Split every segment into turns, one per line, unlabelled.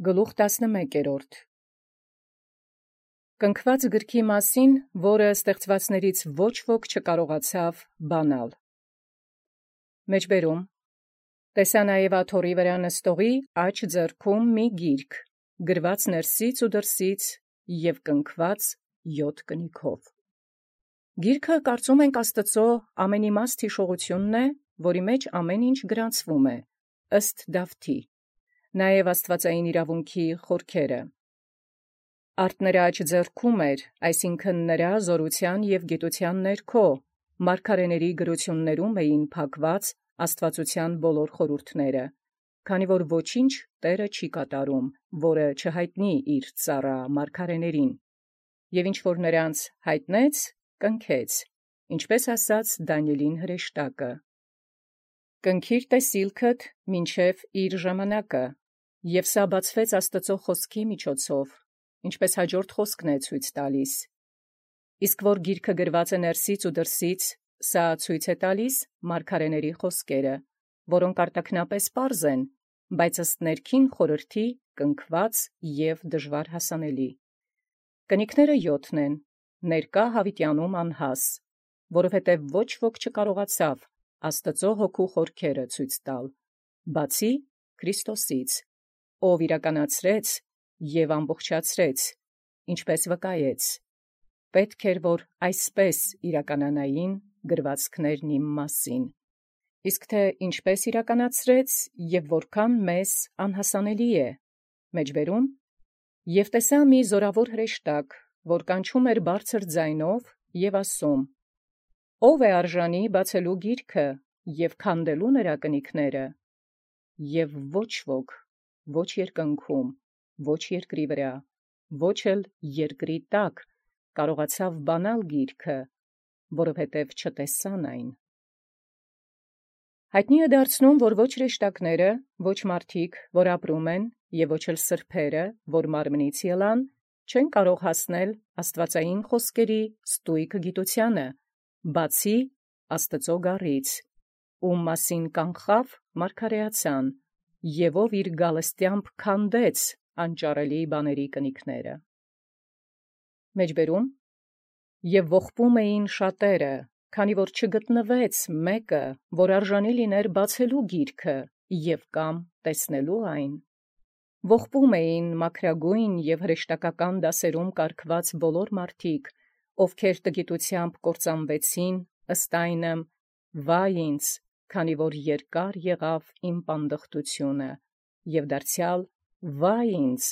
Գլուխ 11 Կնքված գրքի մասին, որը ստեղծվածներից ոչ ոք չկարողացավ բանալ։ Մեջբերում տեսա նաև աթոռի վրա նստողի աջ ձեռքում մի գիրք, գրված ներսից ու դրսից և կնքված 7 կնիքով։ Գիրքը կարծում ենք Աստծո ամենիմաստ հիշողությունն է, որի մեջ ամեն ինչ գրանցվում է, ըստ Դավթի, նաև աստվածային իրավունքի խորքերը։ Արդ նրա աջ ձեռքում էր, այսինքն նրա զորության և գիտության ներքո, մարգարեների գրություններում էին փակված աստվածության բոլոր խորհուրդները, քանի որ ոչինչ Տերը չի կատարում, որը չհայտնի իր ծառա մարգարեներին, և ինչ որ նրանց հայտնեց, կնքեց, ինչպես ասաց Դանիելին հրեշտակը. «Կնքիր տեսիլքդ մինչև իր ժամանակը», և սա բացվեց Աստծո խոսքի միջոցով, ինչպես հաջորդ խոսքն է ցույց տալիս։ Իսկ որ գիրքը գրված է ներսից ու դրսից, սա ցույց է տալիս մարգարեների խոսքերը, որոնք արտաքնապես պարզ են, բայց ըստ ներքին խորհրդի կնքված և դժվար հասանելի։ Կնիքները 7 են, ներկա Հավիտյանում անհաս, որովհետև ոչ ոք չկարողացավ Աստծո հոգու խորքերը ցույց տալ, բացի Քրիստոսից, ով իրականացրեց և ամբողջացրեց, ինչպես վկայեց. պետք էր, որ այսպես իրականանային գրվածքներն իմ մասին։ Իսկ թե ինչպես իրականացրեց և որքան մեզ անհասանելի է, մեջբերում, և տեսա մի զորավոր հրեշտակ, որ կանչում էր բարձր ձայնով և ասում. «Ո՞վ է արժանի բացելու գիրքը և քանդելու նրա կնիքները»։ Եվ ոչ ոք, ոչ երկնքում, ոչ երկրի վրա, ոչ էլ երկրի տակ կարողացավ բանալ գիրքը, որովհետև չտեսան այն։ Հայտնի է դարձնում, որ ոչ հրեշտակները, ոչ մարդիկ, որ ապրում են, և ոչ էլ սրբերը, որ մարմնից ելան, չեն կարող հասնել աստվածային խոսքերի ստույգ գիտությանը, բացի Աստծո գառից, ում մասին կանխավ մարգարեացան, և ով իր գալստյամբ քանդեց անճարելի բաների կնիքները։ Մեջբերում և ողբում էին շատերը, քանի որ չգտնվեց մեկը, որ արժանի լիներ բացելու գիրքը և կամ տեսնելու այն։ Ողբում էին մաքրագույն և հրեշտակական դասերում կարգված բոլոր մարդիկ, ովքեր տգիտությամբ կործանվեցին, ըստ այնմ. «Վայ ինձ, քանի որ երկար եղավ իմ պանդխտությունը, և դարձյալ վայ ինձ,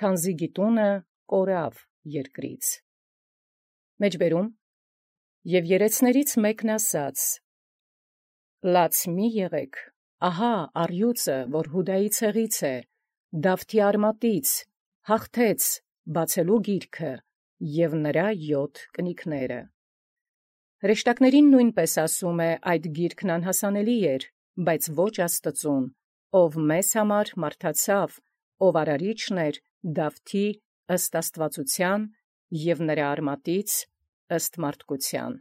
քանզի գիտունը կորավ երկրից»։ Մեջբերում և երեցներից մեկն ասաց. «Լաց մի եղեք, ահա առյուծը, որ Հուդայի ցեղից է, Դավթի արմատից, հաղթեց բացելու գիրքը և նրա 7 կնիքները»։ Հրեշտակներին նույնպես ասում է այդ գիրքն անհասանելի էր, բայց ոչ Աստծուն, ով մեզ համար մարդացավ, ով արարիչն էր Դավթի ըստ աստվածության և նրա արմատից ըստ մարդկության։